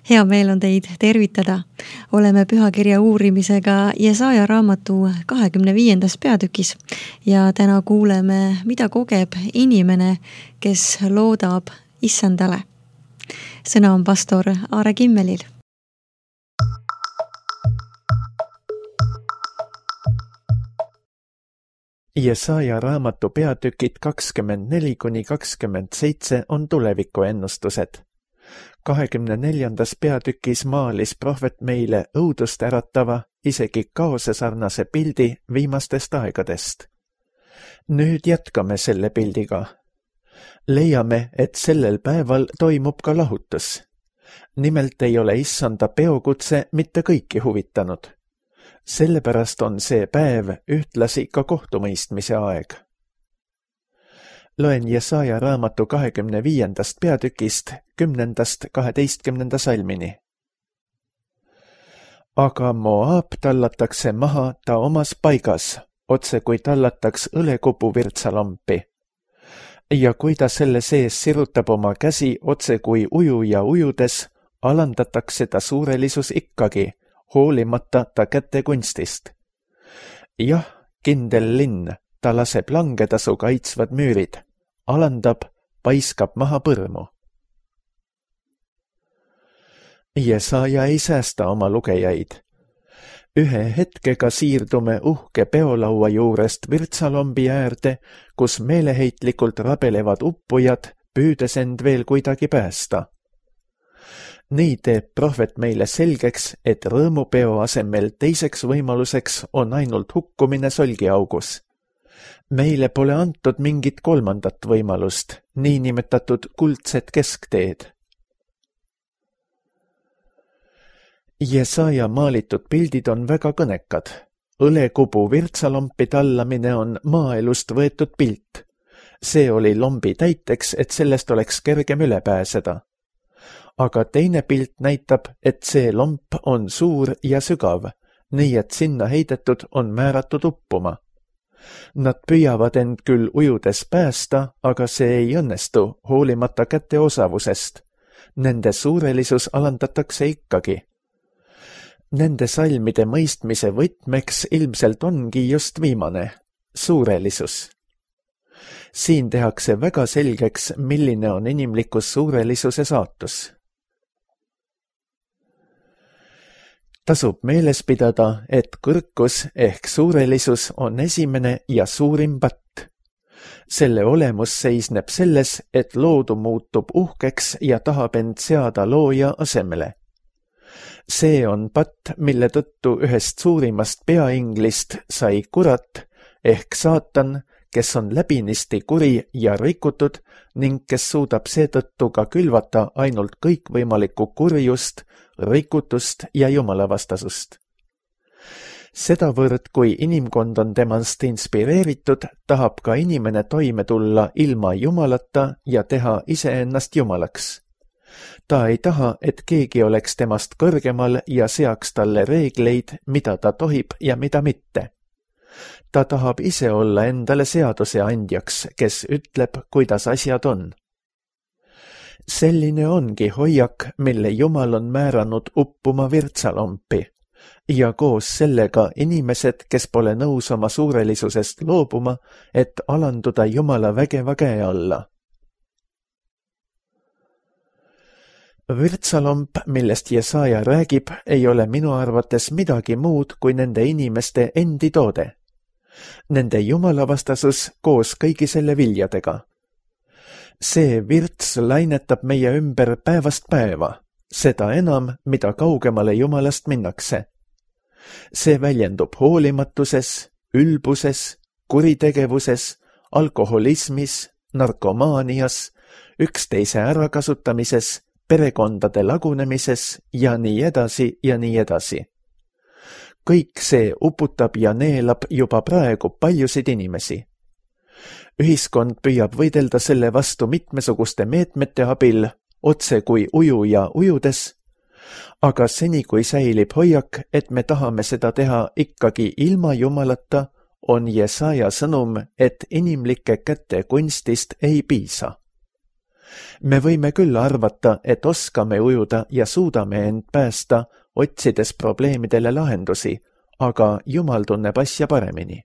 Hea meel on teid tervitada. Oleme pühakirja uurimisega Jesaja raamatu 25. peatükis ja täna kuuleme, mida kogeb inimene, kes loodab Issandale. Sõna on pastor Aare Kimmelil. Jesaja raamatu peatükid 24-27 on tulevikuennustused. 24. peatükis maalis prohvet meile õudust äratava, isegi kaosesarnase pildi viimastest aegadest. Nüüd jätkame selle pildiga. Leiame, et sellel päeval toimub ka lahutus. Nimelt ei ole Issanda peokutse mitte kõiki huvitanud. Sellepärast on see päev ühtlasi ka kohtumõistmise aeg. Loen Jesaja raamatu 25. peatükist 10-12 salmini. Aga Moab tallatakse maha ta omas paigas, otse kui tallataks õlekupu virtsalampi. Ja kui ta selle sees sirutab oma käsi otse kui ujuja ujudes, alandatakse ta suurelisus ikkagi, hoolimata ta käte kunstist. Jah, kindel linn, ta laseb langeda su kaitsvad müürid, alandab, paiskab maha põrmu. Jesaja ei säästa oma lugejaid. Ühe hetkega siirdume uhke peolaua juurest virtsalombi äärde, kus meeleheitlikult rabelevad uppujad, püüdes end veel kuidagi päästa. Nii teeb prohvet meile selgeks, et rõõmupeo asemel teiseks võimaluseks on ainult hukkumine solgiaugus. Meile pole antud mingit kolmandat võimalust, niinimetatud kuldset keskteed. Jesaja maalitud pildid on väga kõnekad. Õlekubu virtsalompi tallamine on maaelust võetud pilt. See oli lombi täiteks, et sellest oleks kergem üle pääseda. Aga teine pilt näitab, et see lomp on suur ja sügav, nii et sinna heidetud on määratud uppuma. Nad püüavad end küll ujudes päästa, aga see ei õnnestu, hoolimata käte osavusest. Nende suurelisus alandatakse ikkagi. Nende salmide mõistmise võtmeks ilmselt ongi just viimane, suurelisus. Siin tehakse väga selgeks, milline on inimlikus suurelisuse saatus. Tasub meeles pidada, et kõrkus ehk suurelisus on esimene ja suurim patt. Selle olemus seisneb selles, et loodu muutub uhkeks ja tahab end seada looja asemele. See on patt, mille tõttu ühest suurimast peainglist sai kurat ehk saatan, kes on läbinisti kuri ja rikutud ning kes suudab seetõttu ka külvata ainult kõikvõimalikku kurjust, rikutust ja jumalavastasust. Sedavõrd, kui inimkond on temast inspireeritud, tahab ka inimene toime tulla ilma jumalata ja teha iseennast jumalaks. Ta ei taha, et keegi oleks temast kõrgemal ja seaks talle reegleid, mida ta tohib ja mida mitte. Ta tahab ise olla endale seaduse andjaks, kes ütleb, kuidas asjad on. Selline ongi hoiak, mille Jumal on määranud uppuma virtsalompi ja koos sellega inimesed, kes pole nõus oma suurelisusest loobuma, et alanduda Jumala vägeva käe alla. Virtsalomp, millest Jesaja räägib, ei ole minu arvates midagi muud kui nende inimeste endi toode. Nende jumalavastasus koos kõigi selle viljadega. See virts lainetab meie ümber päevast päeva, seda enam, mida kaugemale Jumalast minnakse. See väljendub hoolimatuses, ülbuses, kuritegevuses, alkoholismis, narkomaanias, üksteise ärakasutamises, perekondade lagunemises ja nii edasi ja nii edasi. Kõik see uputab ja neelab juba praegu paljusid inimesi. Ühiskond püüab võidelda selle vastu mitmesuguste meetmete abil, otse kui ujuja ujudes, aga seni kui säilib hoiak, et me tahame seda teha ikkagi ilma Jumalata, on Jesaja sõnum, et inimlike käte kunstist ei piisa. Me võime küll arvata, et oskame ujuda ja suudame end päästa, otsides probleemidele lahendusi, aga Jumal tunneb asja paremini.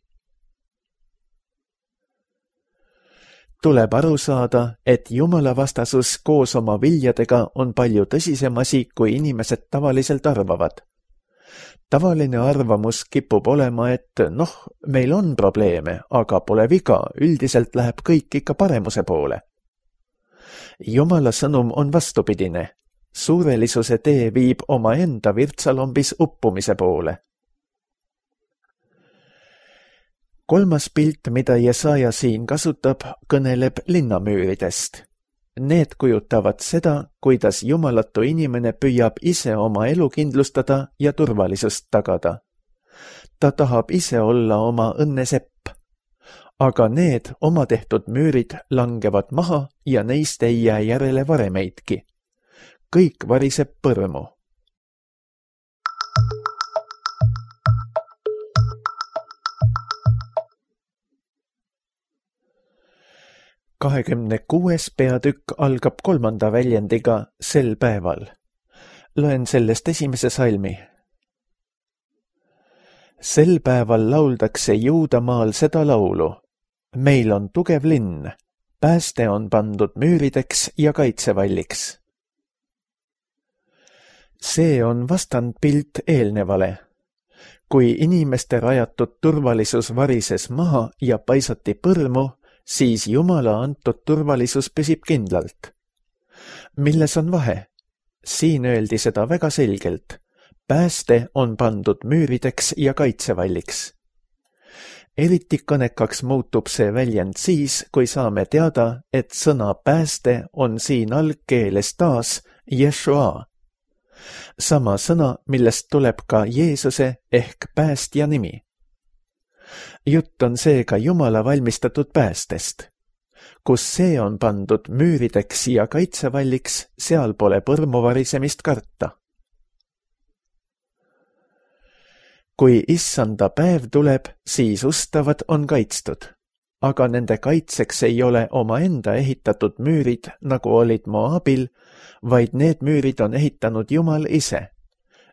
Tuleb aru saada, et Jumala vastasus koos oma viljadega on palju tõsisem asi, kui inimesed tavaliselt arvavad. Tavaline arvamus kipub olema, et meil on probleeme, aga pole viga, üldiselt läheb kõik ikka paremuse poole. Jumala sõnum on vastupidine. Suurelisuse tee viib omaenda virtsalombis uppumise poole. 3. pilt, mida Jesaja siin kasutab, kõneleb linnamüüridest. Need kujutavad seda, kuidas jumalatu inimene püüab ise oma elu kindlustada ja turvalisust tagada. Ta tahab ise olla oma õnnesepp. Aga need oma tehtud müürid langevad maha ja neist ei jää järele varemeidki. Kõik variseb põrmu. ...26. peatükk algab 3. väljendiga sel päeval. Loen sellest 1. salmi. Sel päeval lauldakse Juudamaal seda laulu. Meil on tugev linn, pääste on pandud müürideks ja kaitsevalliks. See on vastandpilt eelnevale. Kui inimeste rajatud turvalisus varises maha ja paisati põrmu, siis Jumala antud turvalisus püsib kindlalt. Milles on vahe? Siin öeldi seda väga selgelt. Pääste on pandud müürideks ja kaitsevalliks. Eriti kõnekaks muutub see väljend siis, kui saame teada, et sõna pääste on siin algkeeles taas Jeshua. Sama sõna, millest tuleb ka Jeesuse ehk päästja nimi. Jutt on seega Jumala valmistatud päästest. Kus see on pandud müürideks ja kaitsevalliks, seal pole põrmu varisemist karta. Kui issanda päev tuleb, siis ustavad on kaitstud, aga nende kaitseks ei ole omaenda ehitatud müürid, nagu olid Moabil, vaid need müürid on ehitanud Jumal ise.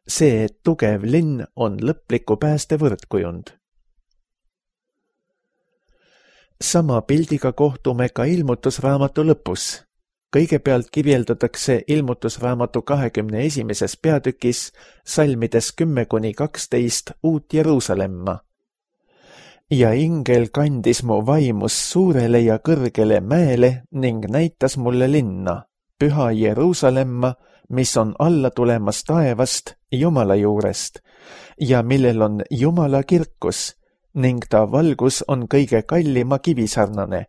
See tugev linn on lõpliku pääste võrdkujund. Sama pildiga kohtume ka ilmutusraamatu lõpus. Kõigepealt kirjeldatakse ilmutusraamatu 21. peatükis salmides 10-12 uut Jeruusalemma. Ja ingel kandis mu vaimus suurele ja kõrgele mäele ning näitas mulle linna, püha Jeruusalemma, mis on alla tulemas taevast Jumala juurest ja millel on Jumala kirkus ning ta valgus on kõige kallima kivisarnane,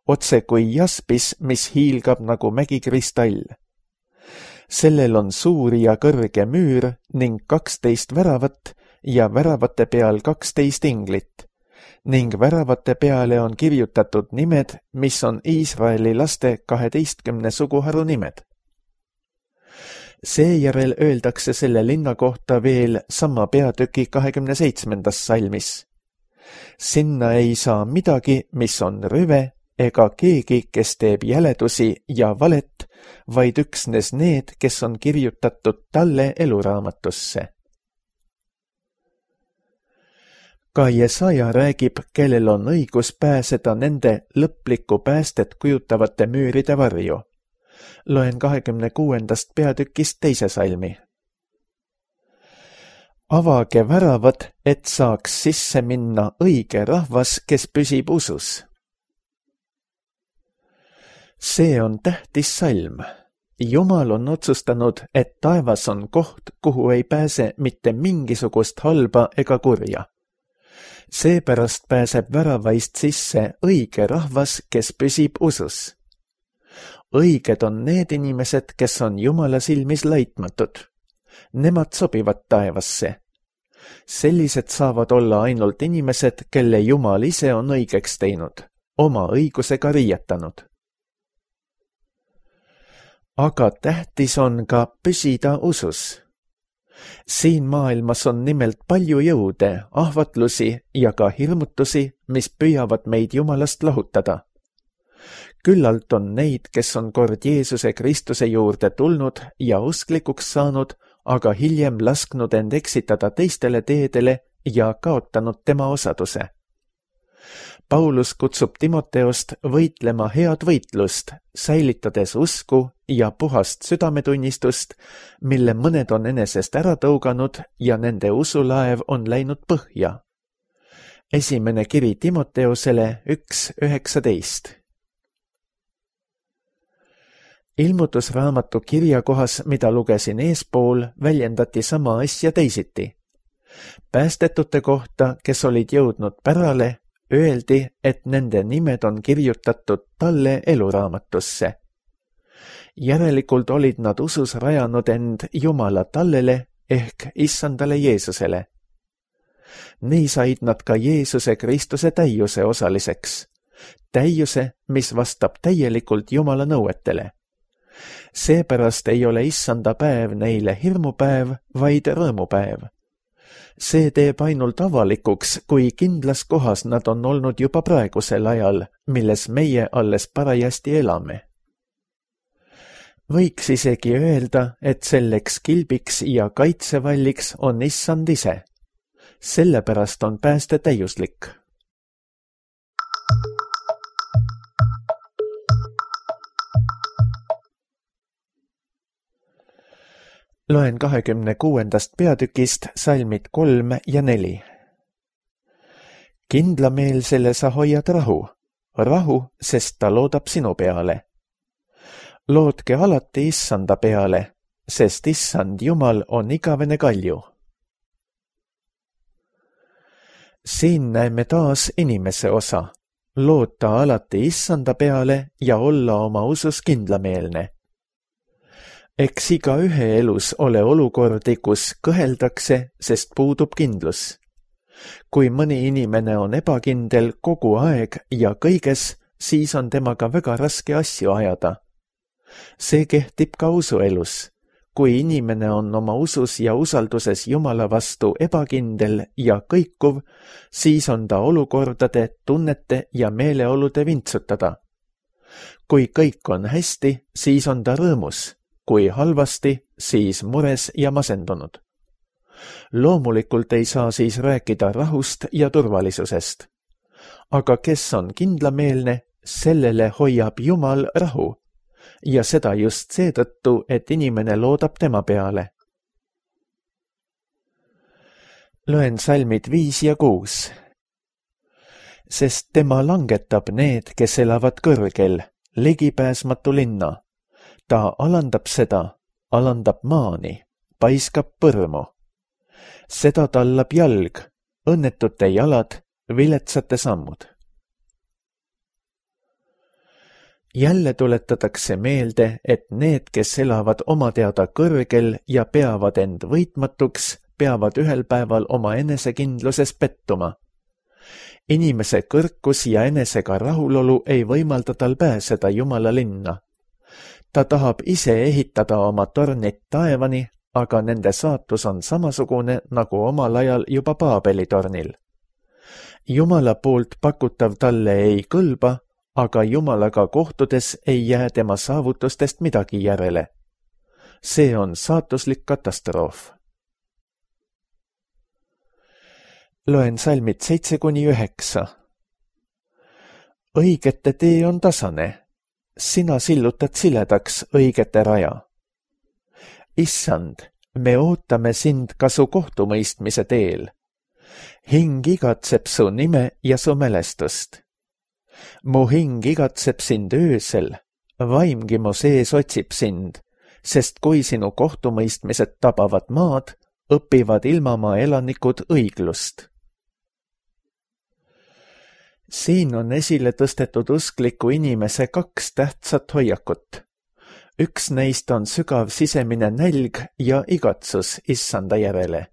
otse kui jaspis, mis hiilgab nagu mägikristall. Sellel on suur ja kõrge müür ning 12 väravat ja väravate peal 12 inglit ning väravate peale on kirjutatud nimed, mis on Iisraeli laste 12 suguharu nimed. Seejärel öeldakse selle linna kohta veel sama peatüki 27. salmis. Sinna ei saa midagi, mis on rüve, ega keegi, kes teeb jäledusi ja valet, vaid üksnes need, kes on kirjutatud talle eluraamatusse. Ka Jesaja räägib, kellel on õigus pääseda nende lõplikku päästet kujutavate müüride varju. Loen 26. peatükist 2. salmi. Avage väravad, et saaks sisse minna õige rahvas, kes püsib usus. See on tähtis salm. Jumal on otsustanud, et taevas on koht, kuhu ei pääse mitte mingisugust halba ega kurja. Seepärast pääseb väravaist sisse õige rahvas, kes püsib usus. Õiged on need inimesed, kes on Jumala silmis laitmatud. Nemad sobivad taevasse. Sellised saavad olla ainult inimesed, kelle Jumal ise on õigeks teinud, oma õigusega riietanud. Aga tähtis on ka püsida usus. Siin maailmas on nimelt palju jõude, ahvatlusi ja ka hirmutusi, mis püüavad meid Jumalast lahutada. Küllalt on neid, kes on kord Jeesuse Kristuse juurde tulnud ja usklikuks saanud, aga hiljem lasknud end eksitada teistele teedele ja kaotanud tema osaduse. Paulus kutsub Timoteost võitlema head võitlust, säilitades usku ja puhast südametunnistust, mille mõned on enesest ära tõuganud ja nende usulaev on läinud põhja. Esimene kiri Timoteosele 1:19. Ilmutusraamatu kirjakohas, mida lugesin eespool, väljendati sama asja teisiti. Päästetute kohta, kes olid jõudnud pärale, öeldi, et nende nimed on kirjutatud talle eluraamatusse. Järelikult olid nad usus rajanud end Jumala tallele ehk issandale Jeesusele. Nii said nad ka Jeesuse Kristuse täiuse osaliseks. Täiuse, mis vastab täielikult Jumala nõuetele. Seepärast ei ole issanda päev neile hirmupäev, vaid rõõmupäev. See teeb ainult avalikuks, kui kindlas kohas nad on olnud juba praegusel ajal, milles meie alles parajasti elame. Võiks isegi öelda, et selleks kilbiks ja kaitsevalliks on issand ise. Sellepärast on pääste täiuslik. Loen 26. peatükist salmid 3 ja 4. Kindlameelsele sa hoiad rahu, sest ta loodab sinu peale. Loodke alati issanda peale, sest issand Jumal on igavene kalju. Siin näeme taas inimese osa, loota alati issanda peale ja olla oma usus kindlameelne. Eks iga ühe elus ole olukordi, kus kõheldakse, sest puudub kindlus. Kui mõni inimene on ebakindel kogu aeg ja kõiges, siis on temaga väga raske asju ajada. See kehtib ka usuelus. Kui inimene on oma usus ja usalduses Jumala vastu ebakindel ja kõikuv, siis on ta olukordade, tunnete ja meeleolude vintsutada. Kui kõik on hästi, siis on ta rõõmus. Kui halvasti, siis mures ja masendunud. Loomulikult ei saa siis rääkida rahust ja turvalisusest. Aga kes on kindlameelne, sellele hoiab Jumal rahu. Ja seda just seetõttu, et inimene loodab tema peale. Loen salmid 5 ja 6. Sest tema langetab need, kes elavad kõrgel, ligipääsmatu linna. Ta alandab seda, alandab maani, paiskab põrmu. Seda tallab jalg, õnnetute jalad, viletsate sammud. Jälle tuletatakse meelde, et need, kes elavad oma teada kõrgel ja peavad end võitmatuks, peavad ühel päeval oma enesekindluses pettuma. Inimese kõrkus ja enesega rahulolu ei võimalda tal pääseda Jumala linna. Ta tahab ise ehitada oma tornid taevani, aga nende saatus on samasugune nagu omal ajal juba Paabeli tornil. Jumala poolt pakutav talle ei kõlba, aga Jumalaga kohtudes ei jää tema saavutustest midagi järele. See on saatuslik katastroof. Loen salmid 7-9. Õigete tee on tasane. Sina sillutad siledaks õigete raja. Issand, me ootame sind ka su kohtumõistmise teel. Hing igatseb su nime ja su mälestust. Mu hing igatseb sind öösel, vaimgi mu sees otsib sind, sest kui sinu kohtumõistmised tabavad maad, õpivad ilmamaa elanikud õiglust. Siin on esile tõstetud uskliku inimese 2 tähtsat hoiakut. Üks neist on sügav sisemine nälg ja igatsus issanda järele.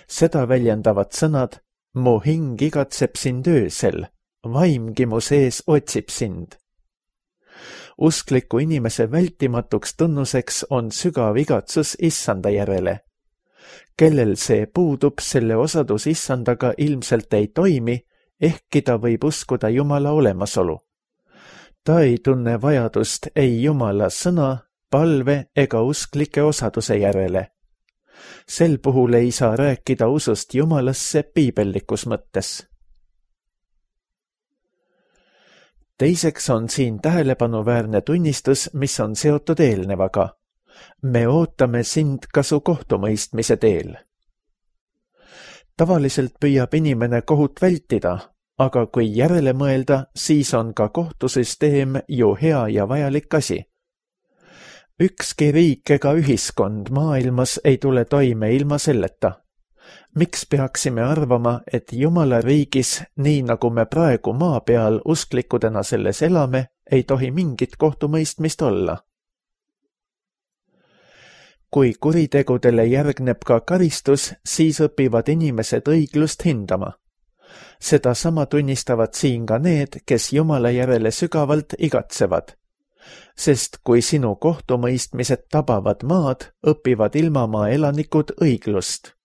Seda väljendavad sõnad, mu hing igatseb sind öösel, vaimgi mu sees otsib sind. Uskliku inimese vältimatuks tunnuseks on sügav igatsus issanda järele. Kellel see puudub, selle osadus issandaga ilmselt ei toimi, ehkki ta võib uskuda Jumala olemasolu. Ta ei tunne vajadust ei Jumala sõna, palve ega usklike osaduse järele. Sel puhul ei saa rääkida usust Jumalasse piibellikus mõttes. Teiseks on siin tähelepanuväärne tunnistus, mis on seotud eelnevaga. Me ootame sind ka su kohtumõistmise teel. Tavaliselt püüab inimene kohut vältida, aga kui järele mõelda, siis on ka kohtusüsteem ju hea ja vajalik asi. Ükski riik ega ühiskond maailmas ei tule toime ilma selleta. Miks peaksime arvama, et Jumala riigis, nii nagu me praegu maa peal usklikudena selles elame, ei tohi mingit kohtumõistmist olla? Kui kuritegudele järgneb ka karistus, siis õpivad inimesed õiglust hindama. Seda sama tunnistavad siin ka need, kes Jumala järele sügavalt igatsevad. Sest kui sinu kohtumõistmised tabavad maad, õpivad ilmamaa elanikud õiglust.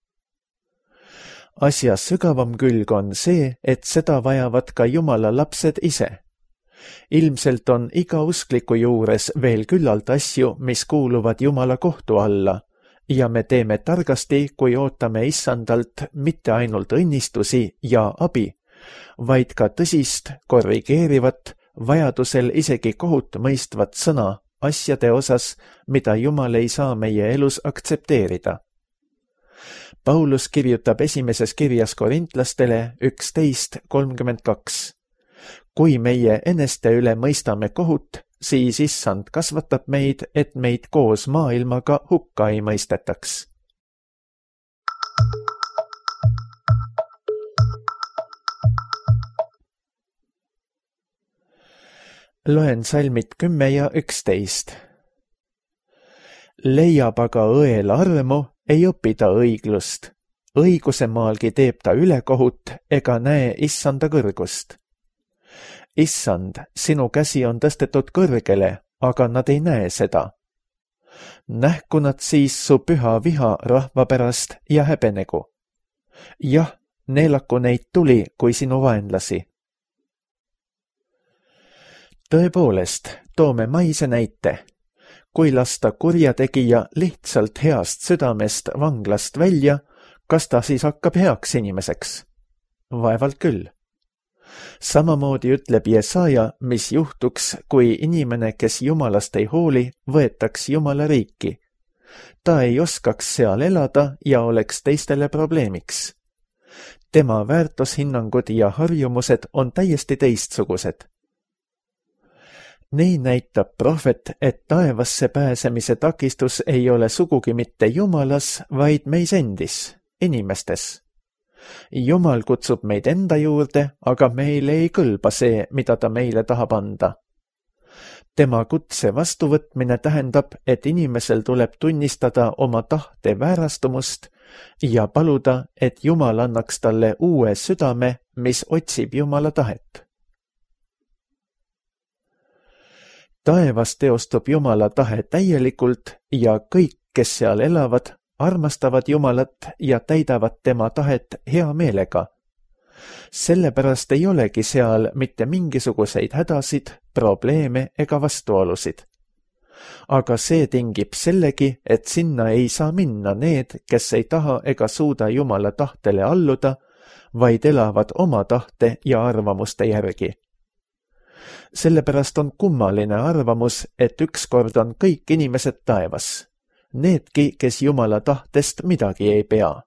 Asja sügavam külg on see, et seda vajavad ka Jumala lapsed ise. Ilmselt on iga uskliku juures veel küllalt asju, mis kuuluvad Jumala kohtu alla, ja me teeme targasti, kui ootame issandalt mitte ainult õnnistusi ja abi, vaid ka tõsist, korrigeerivat, vajadusel isegi kohut mõistvat sõna asjade osas, mida Jumal ei saa meie elus aktsepteerida. Paulus kirjutab esimeses kirjas korintlastele 11:32. Kui meie eneste üle mõistame kohut, siis issand kasvatab meid, et meid koos maailmaga hukka ei mõistetaks. Loen salmid 10 ja 11. Leiab aga õel armu, ei õpi ta õiglust. Õiguse maalgi teeb ta ülekohut ega näe issanda kõrgust. Issand, sinu käsi on tõstetud kõrgele, aga nad ei näe seda. Nähku nad siis su püha viha rahva pärast ja häbenegu. Jah, neelaku neid tuli kui sinu vaenlasi. Tõepoolest, toome maise näite. Kui lasta kurjategija lihtsalt heast südamest vanglast välja, kas ta siis hakkab heaks inimeseks? Vaevalt küll. Samamoodi ütleb Jesaja, mis juhtuks, kui inimene, kes Jumalast ei hooli, võetaks Jumala riiki. Ta ei oskaks seal elada ja oleks teistele probleemiks. Tema väärtushinnangud ja harjumused on täiesti teistsugused. Nii näitab prohvet, et taevasse pääsemise takistus ei ole sugugi mitte Jumalas, vaid meis endis, inimestes. Jumal kutsub meid enda juurde, aga meile ei kõlba see, mida ta meile tahab anda. Tema kutse vastuvõtmine tähendab, et inimesel tuleb tunnistada oma tahte väärastumust ja paluda, et Jumal annaks talle uue südame, mis otsib Jumala tahet. Taevas teostub Jumala tahe täielikult ja kõik, kes seal elavad, armastavad Jumalat ja täidavad tema tahet hea meelega. Sellepärast ei olegi seal mitte mingisuguseid hädasid, probleeme ega vastuolusid. Aga see tingib sellegi, et sinna ei saa minna need, kes ei taha ega suuda Jumala tahtele alluda, vaid elavad oma tahte ja arvamuste järgi. Sellepärast on kummaline arvamus, et ükskord on kõik inimesed taevas. Needki, kes Jumala tahtest midagi ei pea.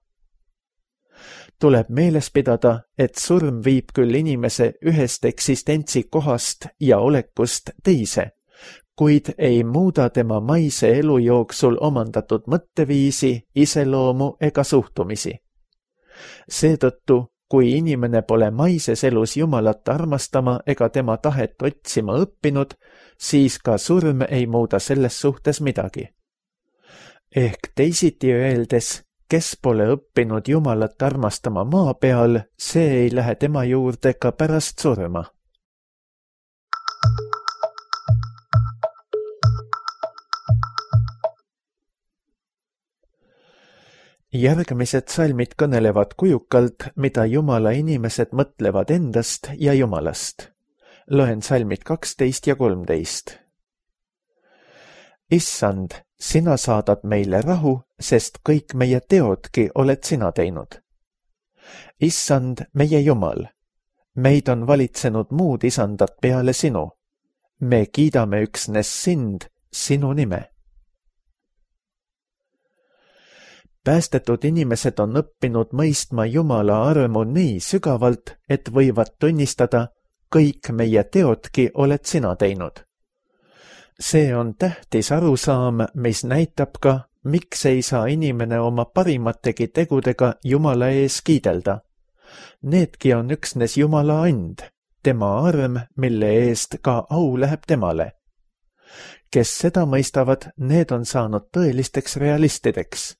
Tuleb meeles pidada, et surm viib küll inimese ühest eksistentsi kohast ja olekust teise, kuid ei muuda tema maise elu jooksul omandatud mõtteviisi, iseloomu ega suhtumisi. Seetõttu, kui inimene pole maises elus Jumalat armastama ega tema tahet otsima õppinud, siis ka surm ei muuda selles suhtes midagi. Ehk teisiti öeldes, kes pole õppinud Jumalat armastama maa peal, see ei lähe tema juurde ka pärast surma. Järgmised salmid kõnelevad kujukalt, mida Jumala inimesed mõtlevad endast ja Jumalast. loen salmid 12 ja 13. Issand, sina saadad meile rahu, sest kõik meie teodki oled sina teinud. Issand, meie Jumal, meid on valitsenud muud isandat peale sinu. Me kiidame üksnes sind, sinu nime. Päästetud inimesed on õppinud mõistma Jumala armu nii sügavalt, et võivad tunnistada, kõik meie teodki oled sina teinud. See on tähtis arusaam, mis näitab ka, miks ei saa inimene oma parimategi tegudega Jumala ees kiidelda. Needki on üksnes Jumala and, tema arm, mille eest ka au läheb temale. Kes seda mõistavad, need on saanud tõelisteks realistideks.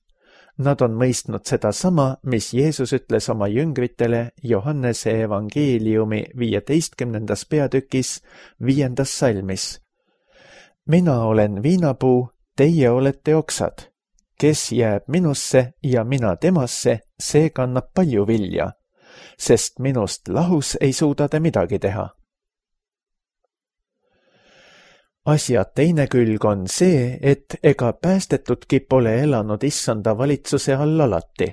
Nad on mõistnud seda sama, mis Jeesus ütles oma jüngritele Johannese evangeeliumi 15. peatükis 5. salmis. Mina olen viinapuu, teie olete oksad. Kes jääb minusse ja mina temasse, see kannab palju vilja, sest minust lahus ei suuda te midagi teha. Asja teine külg on see, et ega päästetudki pole elanud issanda valitsuse all alati.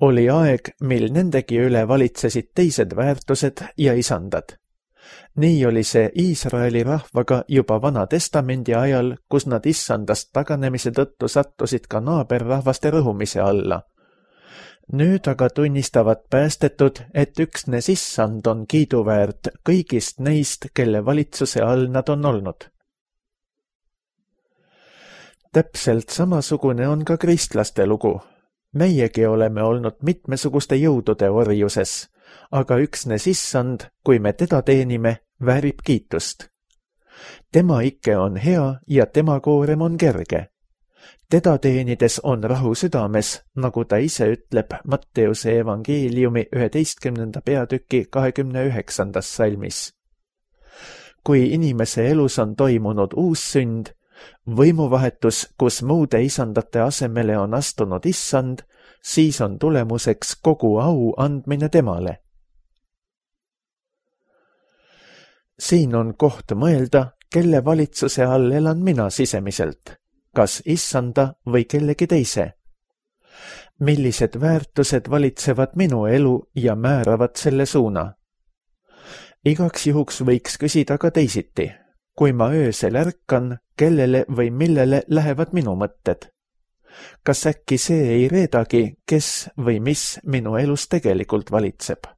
Oli aeg, mil nendegi üle valitsesid teised väärtused ja isandad. Nii oli see Iisraeli rahvaga juba Vana Testamendi ajal, kus nad issandast taganemise tõttu sattusid ka naaberrahvaste rõhumise alla. Nüüd aga tunnistavad päästetud, et üksnes issand on kiiduväärt kõigist neist, kelle valitsuse all nad on olnud. Täpselt samasugune on ka kristlaste lugu. Meiegi oleme olnud mitmesuguste jõudude orjuses, aga üksnes issand, kui me teda teenime, väärib kiitust. Tema ikke on hea ja tema koorem on kerge. Teda teenides on rahu südames, nagu ta ise ütleb Matteuse evangeeliumi 11. peatüki 29. salmis. Kui inimese elus on toimunud uus sünd, võimuvahetus, kus muude isandate asemele on astunud issand, siis on tulemuseks kogu au andmine temale. Siin on koht mõelda, kelle valitsuse all elan mina sisemiselt, kas issanda või kellegi teise. Millised väärtused valitsevad minu elu ja määravad selle suuna? Igaks juhuks võiks küsida ka teisiti. Kui ma öösel ärkan, kellele või millele lähevad minu mõtted? Kas äkki see ei reedagi, kes või mis minu elus tegelikult valitseb?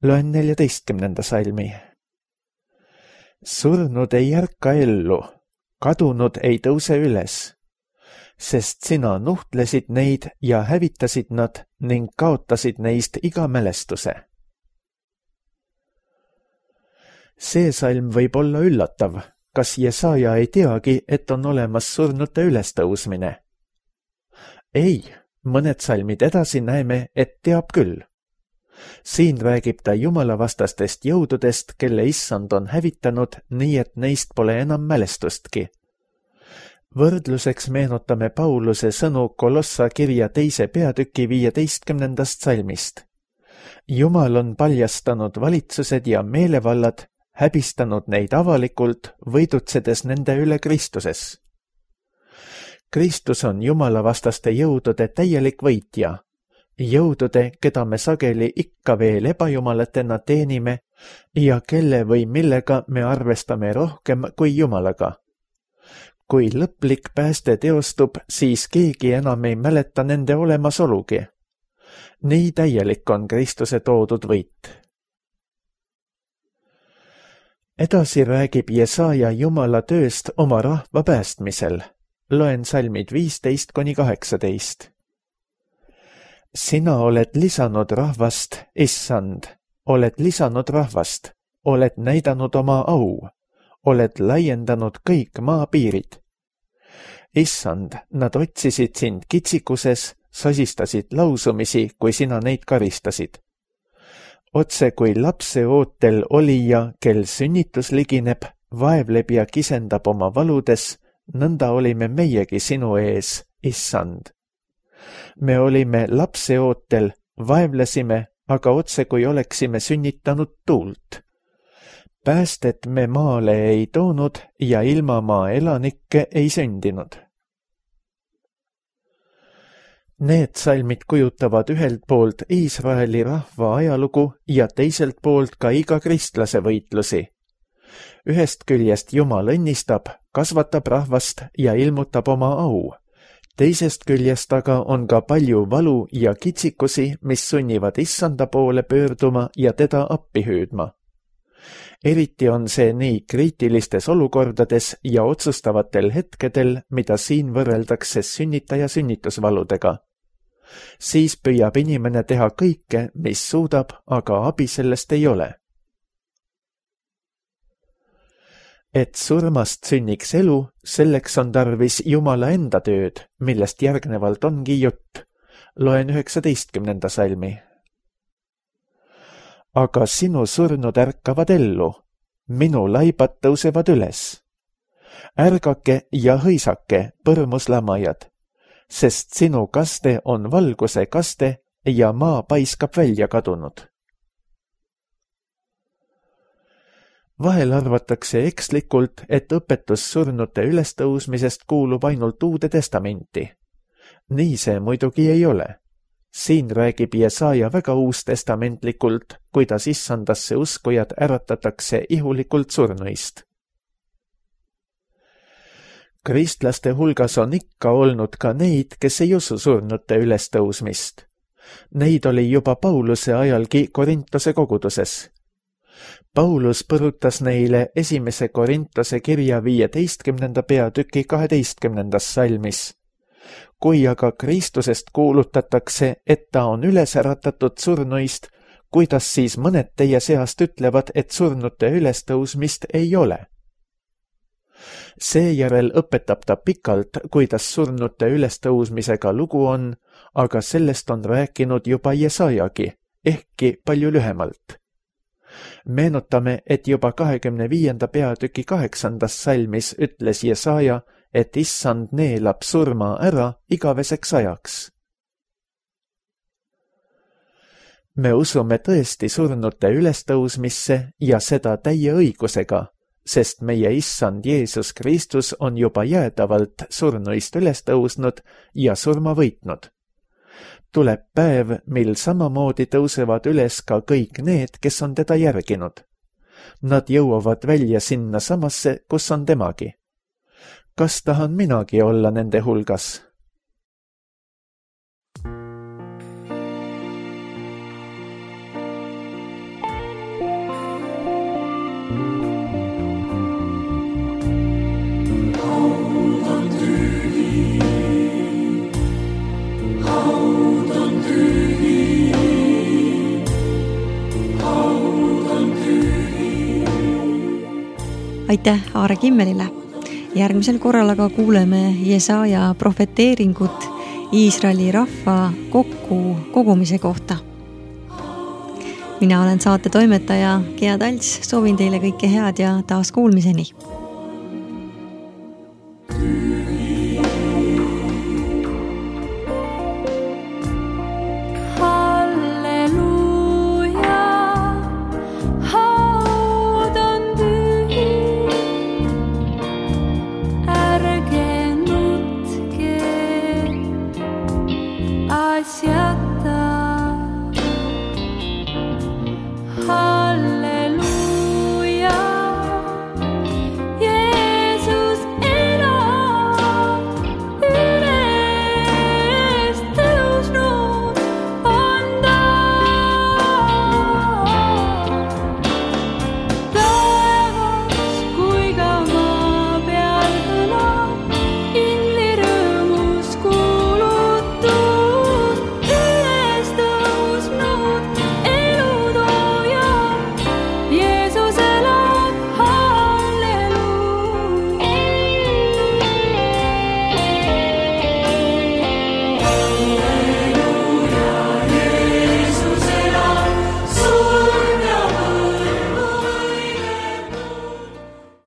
Loen 14. salmi. Surnud ei ärka ellu, kadunud ei tõuse üles, sest sina nuhtlesid neid ja hävitasid nad ning kaotasid neist iga mälestuse. See salm võib olla üllatav, kas Jesaja ei teagi, et on olemas surnute ülestõusmine? Ei, mõned salmid edasi näeme, et teab küll. Siin räägib ta jumalavastastest jõududest, kelle issand on hävitanud, nii et neist pole enam mälestustki. Võrdluseks meenutame Pauluse sõnu Kolossa kirja 2. peatüki 15. salmist. Jumal on paljastanud valitsused ja meelevallad, häbistanud neid avalikult, võidutsedes nende üle Kristuses. Kristus on jumalavastaste jõudude täielik võitja. Jõudude, keda me sageli ikka veel ebajumalatena teenime ja kelle või millega me arvestame rohkem kui Jumalaga. Kui lõplik pääste teostub, siis keegi enam ei mäleta nende olemasolugi. Nii täielik on Kristuse toodud võit. Edasi räägib Jesaja Jumala tööst oma rahva päästmisel. Loen salmid 15–18. Sina oled lisanud rahvast, issand, oled lisanud rahvast, oled näidanud oma au, oled laiendanud kõik maapiirid. Issand, nad otsisid sind kitsikuses, sosistasid lausumisi, kui sina neid karistasid. Otse kui lapse ootel olija, kel sünnitus ligineb, vaevleb ja kisendab oma valudes, nõnda olime meiegi sinu ees, issand. me olime lapseootel, vaevlesime, aga otse kui oleksime sünnitanud tuult. Päästet me maale ei toonud ja ilma maa elanikke ei sündinud. Need salmid kujutavad ühelt poolt Iisraeli rahva ajalugu ja teiselt poolt ka iga kristlase võitlusi. Ühest küljest Jumal õnnistab, kasvatab rahvast ja ilmutab oma au. Teisest küljest aga on ka palju valu ja kitsikusi, mis sunnivad issanda poole pöörduma ja teda appi hüüdma. Eriti on see nii kriitilistes olukordades ja otsustavatel hetkedel, mida siin võrreldakse sünnitaja sünnitusvaludega. Siis püüab inimene teha kõike, mis suudab, aga abi sellest ei ole. Et surmast sünniks elu, selleks on tarvis Jumala enda tööd, millest järgnevalt ongi jutt. Loen 19. salmi. Aga sinu surnud ärkavad ellu, minu laibad tõusevad üles. Ärgake ja hõisake, põrmuslamajad, sest sinu kaste on valguse kaste ja maa paiskab välja kadunud. Vahel arvatakse ekslikult, et õpetus surnute ülestõusmisest kuulub ainult Uude Testamenti. Nii see muidugi ei ole. Siin räägib Jesaja väga uustestamentlikult, kuidas issandasse uskujad äratatakse ihulikult surnuist. Kristlaste hulgas on ikka olnud ka neid, kes ei usu surnute ülestõusmist. Neid oli juba Pauluse ajalgi Korintose koguduses. Paulus põrutas neile 1. Korintose kirja 15. peatüki 12. salmis. Kui aga Kristusest kuulutatakse, et ta on üles äratatud surnuist, kuidas siis mõned teie seast ütlevad, et surnute ülestõusmist ei ole? Seejärel õpetab ta pikalt, kuidas surnute ülestõusmisega lugu on, aga sellest on rääkinud juba Jesajagi, ehkki palju lühemalt. Meenutame, et juba 25. peatüki 8. salmis ütles Jesaja, et issand neelab surma ära igaveseks ajaks. Me usume tõesti surnute ülestõusmisse ja seda täie õigusega, sest meie issand Jeesus Kristus on juba jäädavalt surnuist ülestõusnud ja surma võitnud. Tuleb päev, mil samamoodi tõusevad üles ka kõik need, kes on teda järginud. Nad jõuavad välja sinna samasse, kus on temagi. Kas tahan minagi olla nende hulgas? Aitäh Aare Kimmelile. Järgmisel korral aga kuuleme Jesaja profeteeringut Iisraeli rahva kogumise kohta. Mina olen saate toimetaja Gea Talts, soovin teile kõike head ja taas kuulmiseni.